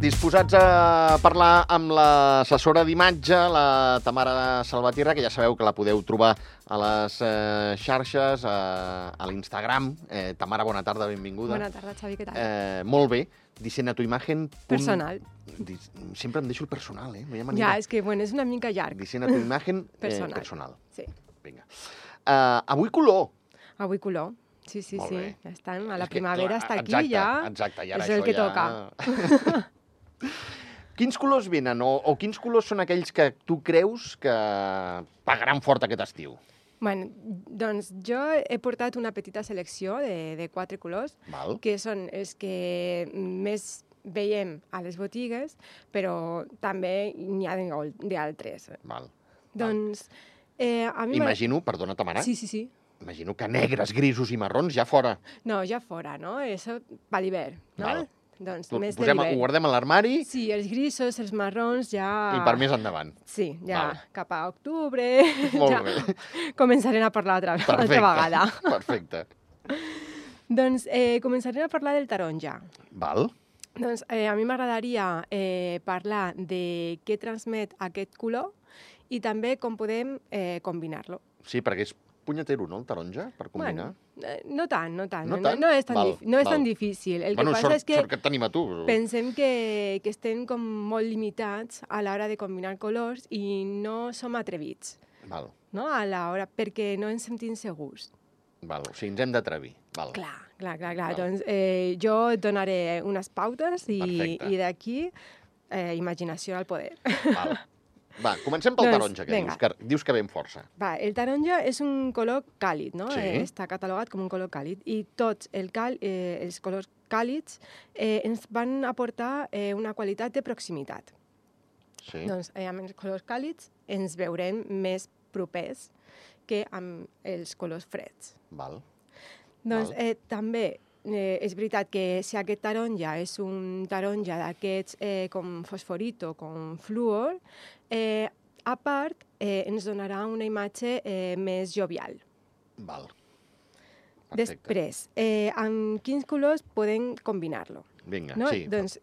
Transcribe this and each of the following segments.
disposats a parlar amb l'assessora d'imatge, la Tamara Salvatierra, que ja sabeu que la podeu trobar a les xarxes, a l'Instagram. Tamara, bona tarda, benvinguda. Bona tarda, Xavi, què tal? Molt bé. Dissena tu imagen... Personal. Sempre em deixo el personal, No hi ha manera. Ja, és que, bueno, és una mica llarg. Dissena tu imagen personal. Sí. Vinga. Avui color. Avui color. Sí. Molt bé. Ja estan. A la primavera està aquí, exacte, ja. Exacte, i ara és el que toca. Quins colors venen o quins colors són aquells que tu creus que pagaran fort aquest estiu? Bueno, doncs jo he portat una petita selecció de 4 colors, Val. que són els que més veiem a les botigues, però també n'hi ha d'altres. Val. Doncs a mi... Imagino, perdona, Tamara, Sí. imagino que negres, grisos i marrons ja fora. No, ja fora, no? Això per l'hivern, no? Val. Doncs Ho més de l'hivern. guardem a l'armari Sí, els grisos, els marrons, ja... i per més endavant. Sí, ja Val. cap a octubre... Molt ja bé. Començarem a parlar altra vegada. Perfecte. Doncs començarem a parlar del taronja. Val. Doncs a mi m'agradaria parlar de què transmet aquest color i també com podem combinar-lo. Sí, perquè és punyetero, no, el taronja, per combinar? Bueno, no tant. No tant? No és tan, Val, tan difícil. El que passa sort, és que sort que et tenim a tu. pensem que estem com molt limitats a l'hora de combinar colors i no som atrevits, Val, no? A l'hora, perquè no ens sentim segurs. val. O sigui, ens hem d'atrevir. Val. Clar. Val. Doncs jo et donaré unes pautes Perfecte. i d'aquí imaginació al poder. Val. Va, comencem pel Doncs, taronja, que vinga. dius que ve amb força. Va, el taronja és un color càlid, no? Sí. Està catalogat com un color càlid i tots els colors càlids ens van aportar una qualitat de proximitat. Sí. Doncs amb els colors càlids ens veurem més propers que amb els colors freds. Val. Doncs Val. també és veritat que si aquest taronja és un taronja d'aquests com fosforito, com fluor, a part ens donarà una imatge més jovial. Val. Perfecte. Després, amb quins colors podem combinar-lo? Vinga, No? sí. Doncs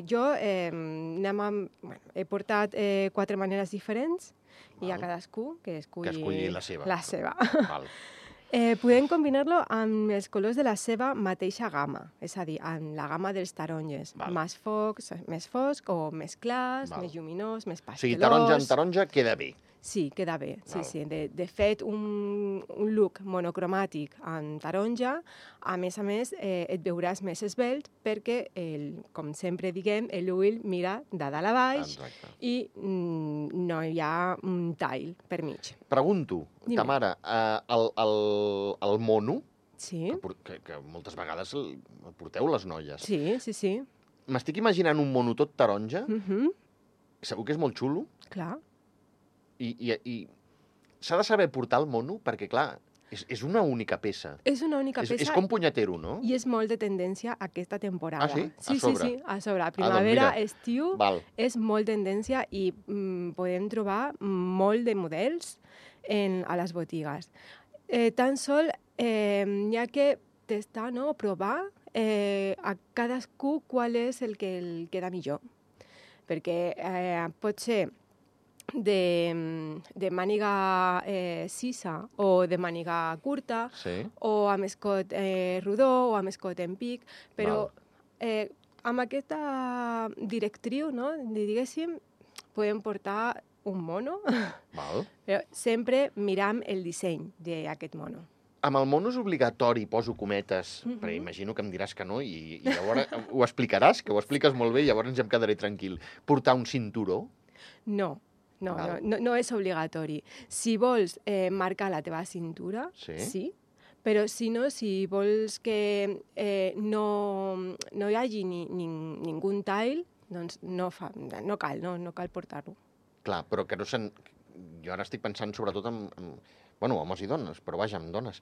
jo he portat 4 maneres diferents i a Val. cadascú que esculli la seva. La seva. Val. Podem combinar-lo amb els colors de la seva mateixa gamma, és a dir, amb la gamma dels taronges. Val. Més fosc o més clars, Val. més lluminós, més O sigui, pastelós. taronja en taronja queda bé. Sí, queda bé. Val. Sí. De fet, un look monocromàtic en taronja, a més, et veuràs més esvelt perquè, com sempre diguem, l'ull mira de dalt a baix Exacte. i no hi ha un tall per mig. Pregunto, Dime. Tamara, el mono, Sí, que moltes vegades el porteu les noies. sí. M'estic imaginant un mono tot taronja, Mhm, segur que és molt xulo, clar. i s'ha de saber portar el mono perquè, clar, és una única peça. És una única peça És com punyetero, no? i és molt de tendència aquesta temporada. Ah, sí? A Sí, sobre. sí, a sobre. doncs Primavera, mira. estiu, Val. és molt tendència i podem trobar molt de models a les botigues. Tan sol hi ha que testar, no? Provar a cadascú qual és el que el queda millor. Perquè pot ser de màniga sisa o de màniga curta, Sí. o amb escot rodó o amb escot en pic, però amb aquesta directriu, no, diguéssim, podem portar un mono, Val. però sempre miram el disseny d'aquest mono. Amb el mono és obligatori, poso cometes, Mhm. perquè imagino que em diràs que no, i llavors ho explicaràs, que ho expliques molt bé, i llavors em quedaré tranquil. Portar un cinturó? No, Val. no és obligatori. Si vols marcar la teva cintura, sí, però si no, si vols que no hi hagi ningú tall, doncs no cal portar-lo. Clar, però que no se'n... Jo ara estic pensant sobretot en homes i dones, però vaja, en dones.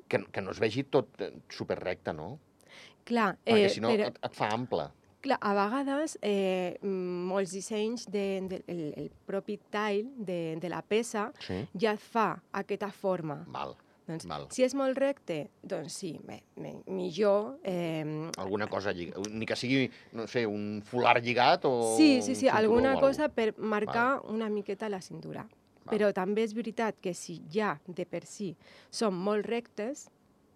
Que no es vegi tot superrecte, no? Clar, Perquè si no però, et fa ample. clar, a vegades molts dissenys el propi tall de la peça Sí. ja et fa aquesta forma. Val. Doncs, Val. si és molt recte, doncs sí, millor... Alguna cosa lligada, ni que sigui, no sé, un folar lligat o Sí, un cinturó alguna o cosa alguna per marcar una miqueta la cintura. Val. Però també és veritat que si ja de per si són molt rectes,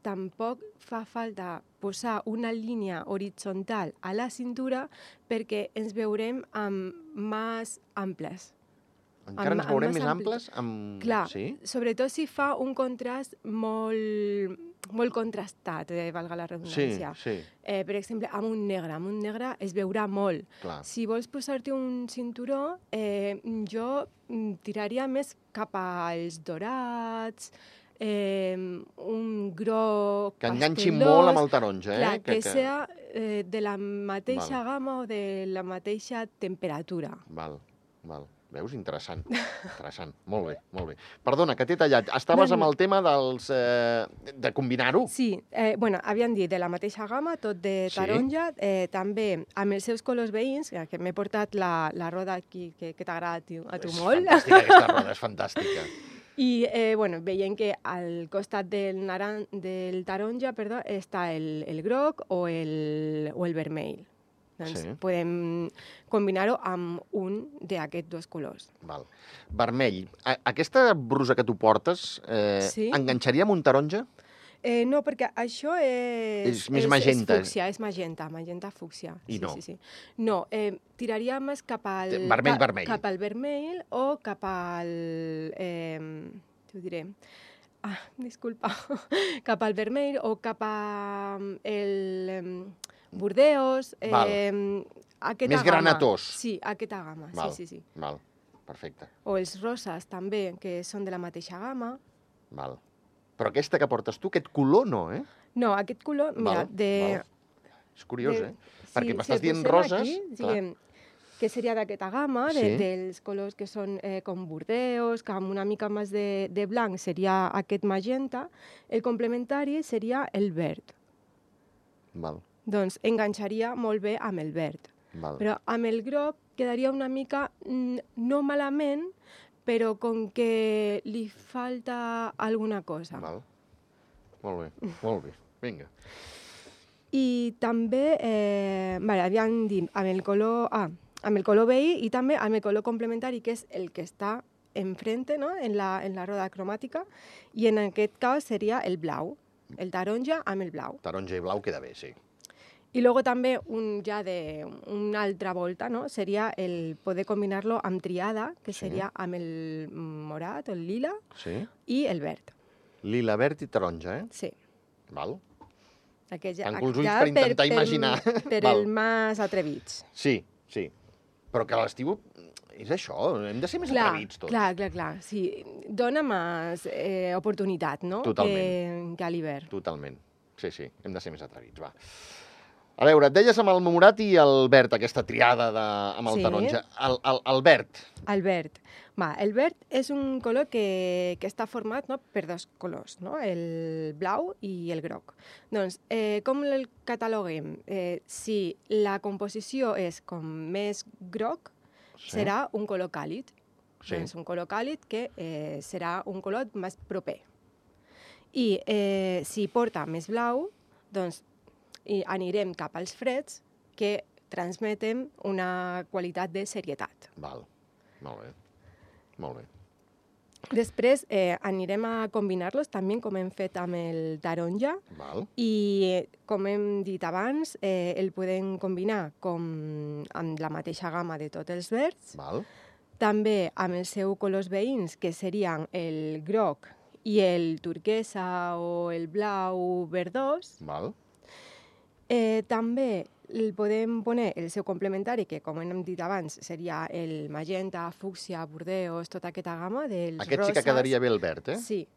tampoc fa falta posar una línia horitzontal a la cintura perquè ens veurem amb mans amples. Encara ens veurem més amples? Clar, Sí? sobretot si fa un contrast molt contrastat, valga la redundància. Sí. Per exemple, amb un negre es veurà molt. Clar. Si vols posar-te un cinturó, jo tiraria més cap als dorats, un groc Que enganxi pastelós, molt amb el taronja, clar, que sea de la mateixa gamma o de la mateixa temperatura. Val. Veus? Interessant. Molt bé. Perdona, que t'he tallat. Estaves amb el tema dels... de combinar-ho? Sí, havíem dit de la mateixa gamma, tot de taronja, també amb els seus colors veïns, que m'he portat la roda aquí, que t'agrada a tu molt. És fantàstica, aquesta roda, és fantàstica. I veiem que al costat del taronja està el groc o el vermell. Doncs podem combinar-ho amb un d'aquests dos colors. Val. Vermell. Aquesta brusa que tu portes enganxaria amb un taronja? No, perquè això és més magenta. És fúcsia, és magenta fúcsia. I no? Sí. No, tiraria més cap al... Vermell. Cap al vermell o cap al... t'ho diré... disculpa. Cap al vermell o cap al... Burdeos, més granatós. Sí, aquesta gamma, sí. Val, perfecte. O els roses també, que són de la mateixa gamma. Val. Però aquesta que portes tu, aquest color no, eh? No, aquest color, mira, És curiós, perquè m'estàs dient roses... Aquí, que seria d'aquesta gamma, dels colors que són com burdeos, que amb una mica més de blanc seria aquest magenta. El complementari seria el verd. Val. Doncs enganxaria molt bé amb el verd. Val. Però amb el groc quedaria una mica, no malament, però com que li falta alguna cosa. Val. Molt bé. Vinga. I també, havíem dit, amb el color veí i també amb el color complementari, que és el que està enfrente, no? en la roda cromàtica, i en aquest cas seria el blau, el taronja amb el blau. Taronja i blau queda bé, sí. I luego també una altra volta, no? Seria el poder combinar-lo amb triada, que seria amb el morat o el lila i el verd. Lila, verd i taronja, Sí. Val. Tanco els ulls per intentar imaginar. Per el més atrevits. Sí. Però que a l'estiu és això, hem de ser més atrevits tots. Clar. Sí, dona més oportunitat, no? Totalment. Que a l'hivern. Totalment. Sí, hem de ser més atrevits, va. A veure, et deies amb el morat i el verd, aquesta triada amb el taronja. El verd. El verd. El verd és un color que està format per dos colors, no? El blau i el groc. Doncs, com el cataloguem? Si la composició és com més groc, serà un color càlid. Doncs un color càlid que serà un color més proper. I si porta més blau, doncs anirem cap als freds que transmeten una qualitat de serietat. Val, molt bé. Després anirem a combinar-los també com hem fet amb el taronja. Val. I com hem dit abans, el podem combinar amb la mateixa gamma de tots els verds. Val. També amb els seus colors veïns, que serien el groc i el turquesa o el blau verdós. Val. També podem poner el seu complementari, que com hem dit abans seria el magenta, fúcsia, burdeos, tota aquesta gamma dels roses. Aquest sí que quedaria bé el verd, eh? Sí,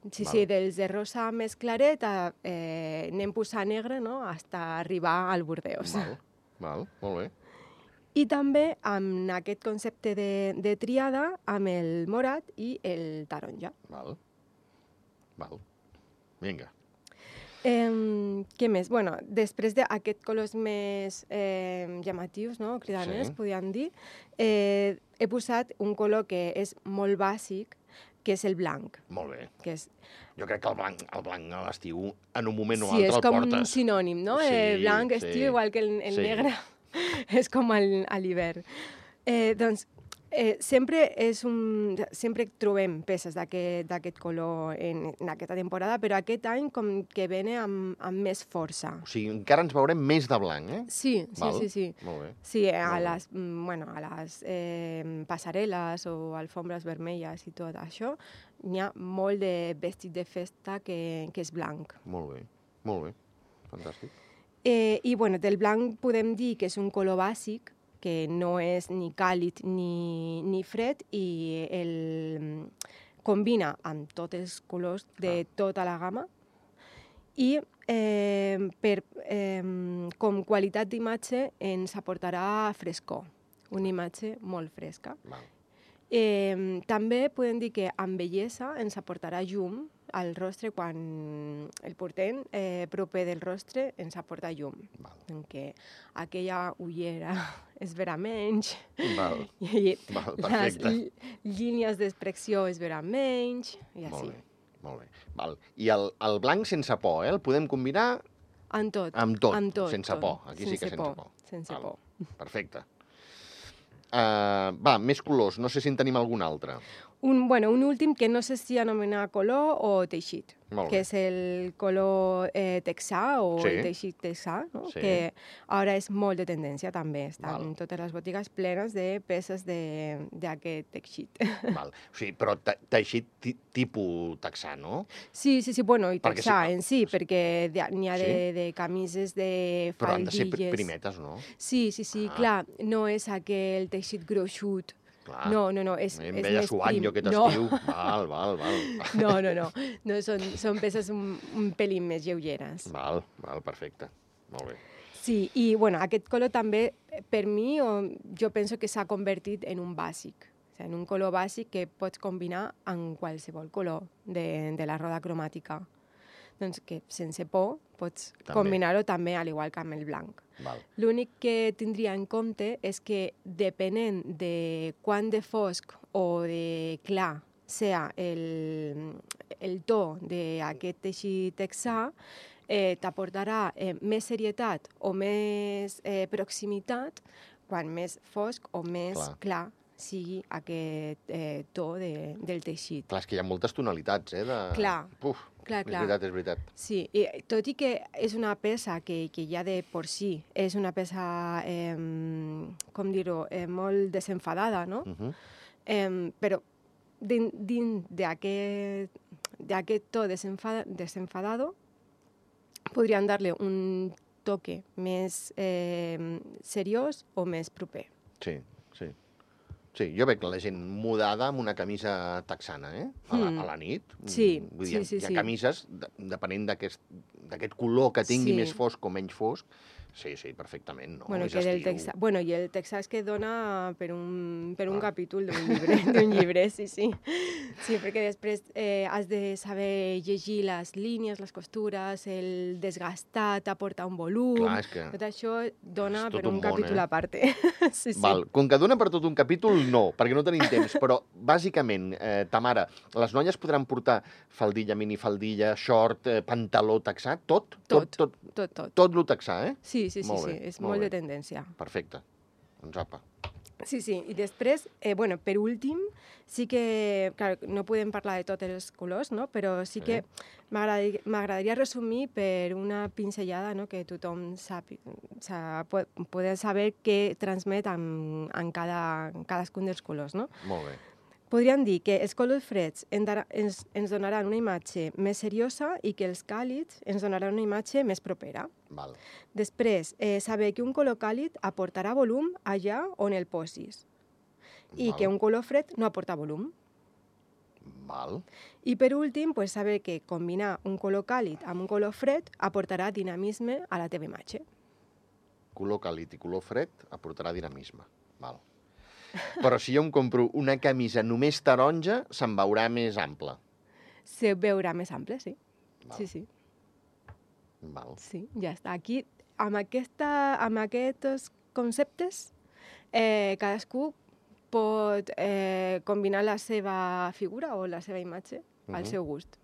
dels de rosa més claret anem posant negre, no?, fins a arribar al burdeos. Val, molt bé. I també amb aquest concepte de triada amb el morat i el taronja. Val. Vinga. Què més? Després d'aquests colors més llamatius, no? Cridaners, podríem dir, he posat un color que és molt bàsic, que és el blanc. Molt bé. Que és, Jo crec que el blanc a l'estiu, en un moment o sí, altre és el com portes. un sinònim, no? Blanc, estiu, igual que el Sí. negre, és com a l'hivern. Doncs sempre trobem peces d'aquest color en aquesta temporada, però aquest any com que vene amb més força. O sigui, encara ens veurem més de blanc, eh? Sí. Val? Sí. Molt bé. Sí, a Molt bé. les passarel·les o alfombres vermelles i tot això, n'hi ha molt de vestit de festa que és blanc. Molt bé. Fantàstic. I bueno, del blanc podem dir que és un color bàsic, que no és ni càlid ni fred i combina amb tots els colors de tota la gamma i com qualitat d'imatge ens aportarà frescor, una imatge molt fresca. Val. També podem dir que amb bellesa ens aportarà llum al rostre quan el portem proper del rostre ens aporta llum. Val. En què aquella ullera es verà menys Val. i Val, les perfecte. línies d'expressió es veran menys i Molt així. bé. Molt bé. Val. I el blanc sense por, el podem combinar Amb tot. amb tot, Amb tot, sense tot. por. Aquí sí que sense por. Sense Val. por. Perfecte. Va, més colors. No sé si en tenim algun altre. Un últim que no sé si anomenar color o teixit, Molt bé. que és el color texà o Sí. el teixit texà, no? Sí. Que ara és molt de tendència també. Estan Val. totes les botigues plenes de peces d'aquest teixit. Val. O sigui, però teixit tipus texà, no? Sí, bueno, i Perquè texà sí. en si, perquè n'hi ha Sí? de camises, de Però han de ser faldilles... primetes, no? Sí, Ah. clar, no és aquell teixit gruixut. Clar. No, és Em més veia suant prim. jo aquest No. estiu. Val. No, són peces un pelín més lleugeres. Val, perfecte. Molt bé. Sí, i aquest color també, per mi, jo penso que s'ha convertit en un bàsic. O sigui, en un color bàsic que pots combinar amb qualsevol color de la roda cromàtica. Doncs que sense por pots També. combinar-ho també, al igual que amb el blanc. Val. L'únic que tindria en compte és que depenent de quant de fosc o de clar sea el to d'aquest teixit texà, t'aportarà més serietat o més proximitat quan més fosc o més clar sigui aquest to del teixit. Clar, és que hi ha moltes tonalitats, Clar. Puf, Clar. és veritat. Sí, i tot i que és una peça que ja de por si és una peça, com dir-ho, molt desenfadada, no? Però dins d'aquest to desenfadado podríem dar-li un toque més seriós o més proper. Sí, jo veig la gent mudada amb una camisa texana, a la nit. Sí, Vull dir, sí. Hi ha camises, depenent d'aquest color que tingui més fosc o menys fosc. Sí, perfectament, no? És estiu. I el texà és que dona per un capítol d'un llibre, sí. Sí, perquè després has de saber llegir les línies, les costures, el desgastat, aportar un volum... Clar, és que... Tot això dona per un un capítol a part. Sí. Val. Com que dona per tot un capítol, no, perquè no tenim temps, però bàsicament, Tamara, les noies podran portar faldilla, minifaldilla, short, pantaló texà, tot? Tot lo texà, Sí, és molt de tendència. Perfecte. Doncs apa. Sí, i després, per últim, sí que, clar, no podem parlar de tots els colors, no? Però sí que m'agradaria resumir per una pinzellada, no? Que tothom pugui saber què transmet en cadascun dels colors, no? Molt bé. Podríem dir que els colors freds ens donaran una imatge més seriosa i que els càlids ens donaran una imatge més propera. Val. Després, saber que un color càlid aportarà volum allà on el posis i que un color fred no aporta volum. Val. I per últim, saber que combinar un color càlid amb un color fred aportarà dinamisme a la teva imatge. Color càlid i color fred aportarà dinamisme. Val. Però si jo em compro una camisa només taronja, se'n veurà més ample. Se veurà més ample, sí. Val. Sí. Val. Sí, ja està. Aquí, amb aquests conceptes, cadascú pot combinar la seva figura o la seva imatge al seu gust.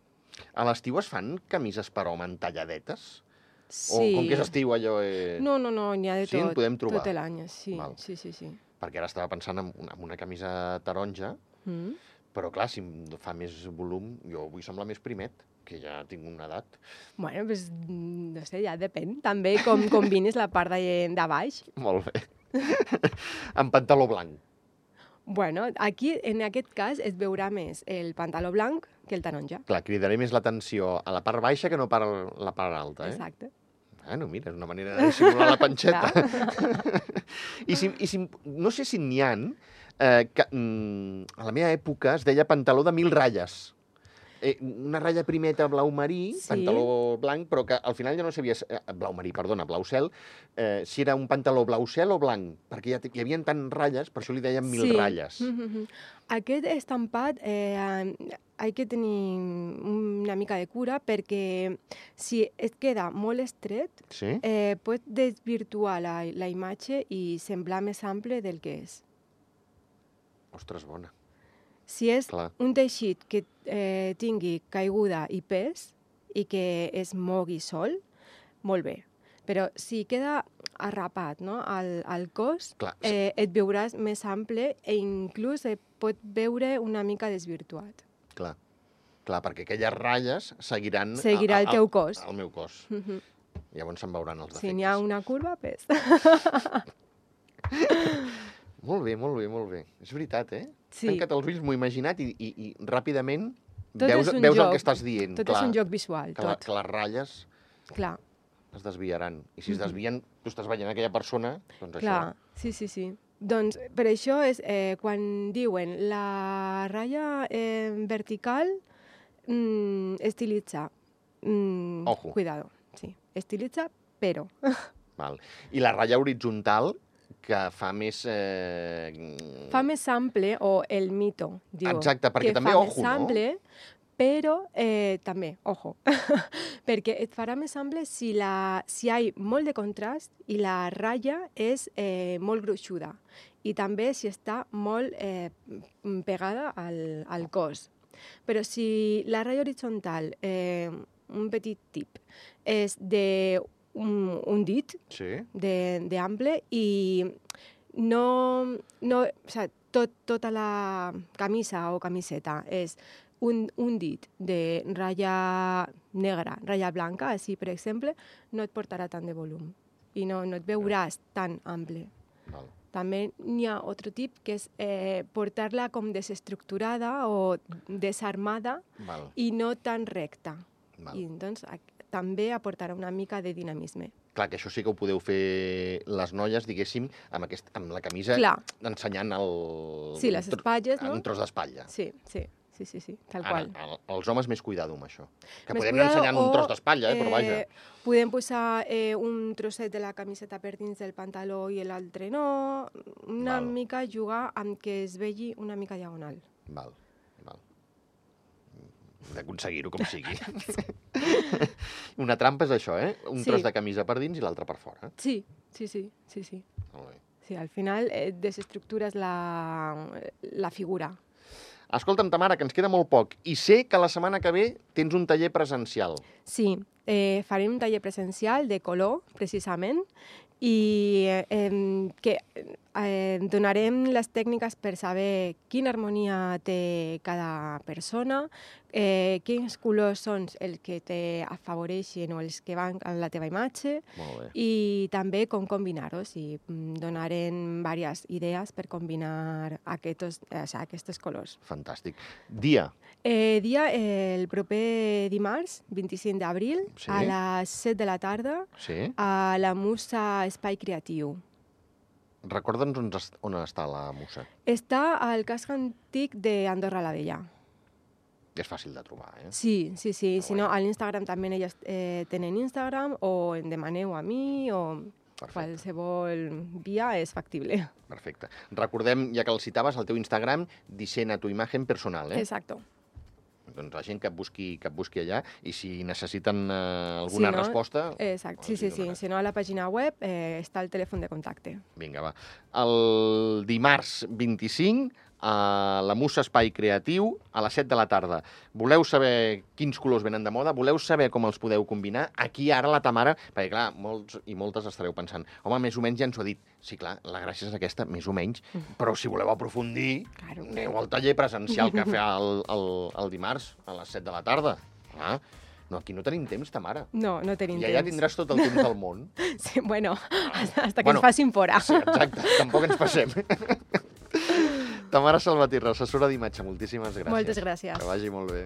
A l'estiu es fan camises per home talladetes? Sí. O com que és estiu allò... No, n'hi ha de Sí, en tot. podem trobar? Tot l'any, sí. Val. Sí. Perquè ara estava pensant en una camisa taronja, però clar, si em fa més volum, jo vull semblar més primet, que ja tinc una edat. Bueno, pues, no sé, ja depèn. També com combines la part de baix. Molt bé. En pantaló blanc. Bueno, aquí, en aquest cas, es veurà més el pantaló blanc que el taronja. Clar, cridaré més l'atenció a la part baixa que no a la part alta, eh? Exacte. Bueno, mira, és una manera de dissimular la panxeta. No sé si n'hi ha, que a la meva època es deia pantaló de 1000 ratlles. Una ratlla primeta blau marí, Sí. pantaló blanc, però que al final ja no sabia... blau marí, perdona, blau cel. Si era un pantaló blau cel o blanc, perquè hi havia tant ratlles, per això li deien 1000 ratlles. Aquest estampat hay que tenir una mica de cura perquè si es queda molt estret, Sí? pot desvirtuar la imatge i semblar més ample del que és. Ostres, bona. Si és Clar. un teixit que tingui caiguda i pes i que es mogui sol, molt bé. Però si queda arrapat, no, al cos, Clar. et veuràs més ample i inclús pot veure una mica desvirtuat. Clar, perquè aquelles ratlles seguiran... Seguirà el teu cos. El meu cos. Llavors se'n veuran els defectes. Si n'hi ha una curva, pes. Molt bé. És veritat, eh? Sí. Tanca't els ulls, m'ho he imaginat i ràpidament Tot veus és un el joc. que estàs dient. Tot és un joc visual, tot. Que les ratlles Clar, es desviaran. I si es desvien, tu estàs veient aquella persona, doncs clar. Sí. Doncs per això és quan diuen la ratlla vertical estilitza. Ojo. Cuidado, sí. Estilitza, però. Val. I la ratlla horitzontal, que fa més... Fa més ample, o el mito, diu. Exacte, perquè que també, fa ojo, més ample, però també, ojo, perquè et farà més ample si hi ha molt de contrast i la ratlla és molt gruixuda i també si està molt pegada al cos. Però si la ratlla horitzontal, un petit tip, és d'un dit Sí? d'ample i o sea, tota la camisa o camiseta és un dit de ratlla negra, ratlla blanca, així, per exemple, no et portarà tant de volum i no et veuràs tan ample. Val. També n'hi ha altre tip, que és portar-la com desestructurada o desarmada Val. i no tan recta. Val. I doncs també aportarà una mica de dinamisme. Clar, que això sí que ho podeu fer les noies, diguéssim, amb la camisa Clar. ensenyant el... Sí, les espatlles, no? Un tros d'espatlla. Sí, tal qual. Ara, els homes més cuidado amb això. Que Més podem cuidado, anar ensenyant un o, tros d'espatlla, però vaja. Podem posar un trosset de la camiseta per dins del pantaló i l'altre no. Una Val. mica jugar amb que es vegi una mica diagonal. Val. Hem d'aconseguir-ho com sigui. Una trampa és això, eh? Un Sí. tros de camisa per dins i l'altre per fora. Sí. Molt bé. Sí, al final desestructures la figura. Escolta'm, Tamara, que ens queda molt poc. I sé que la setmana que ve tens un taller presencial. Sí, farem un taller presencial de color, precisament, i que donarem les tècniques per saber quina harmonia té cada persona, quins colors són els que t'afavoreixen o els que van a la teva imatge, Molt bé. i també com combinar-los, i donarem diverses idees per combinar aquests colors. Fantàstic. Dia. Dia el proper dimarts, 25 d'abril, Sí. a les 7 de la tarda, Sí? a la Musa Espai Creatiu. Recorda'ns on està la Musa. Està al casc antic d'Andorra la Vella. És fàcil de trobar, eh? Sí. Si no, bueno. a l'Instagram també elles tenen Instagram, o em demaneu a mi, o Perfecte. qualsevol via és factible. Perfecte. Recordem, ja que el citaves, el teu Instagram, Dissena tu imagen personal, eh? Exacto. doncs la gent que et busqui allà, i si necessiten alguna resposta... Exacte, sí. Si no, a la pàgina web està el telèfon de contacte. Vinga, va. El dimarts 25 a la Musa Espai Creatiu a les 7 de la tarda. Voleu saber quins colors venen de moda? Voleu saber com els podeu combinar? Aquí ara la Tamara, perquè clar, molts i moltes estareu pensant, home, més o menys ja ens ho ha dit. Sí, clar, la gràcia és aquesta, més o menys, però si voleu aprofundir, aneu al taller presencial que fa el dimarts a les 7 de la tarda. Ah, no, aquí no tenim temps, Tamara. No tenim temps. I allà tindràs tot el temps del món. Sí, bueno, hasta que ens facin fora. Sí, exacte, tampoc ens passem. Tamara Salvatierra, assessora d'imatge, moltíssimes gràcies. Moltes gràcies. Que vagi molt bé.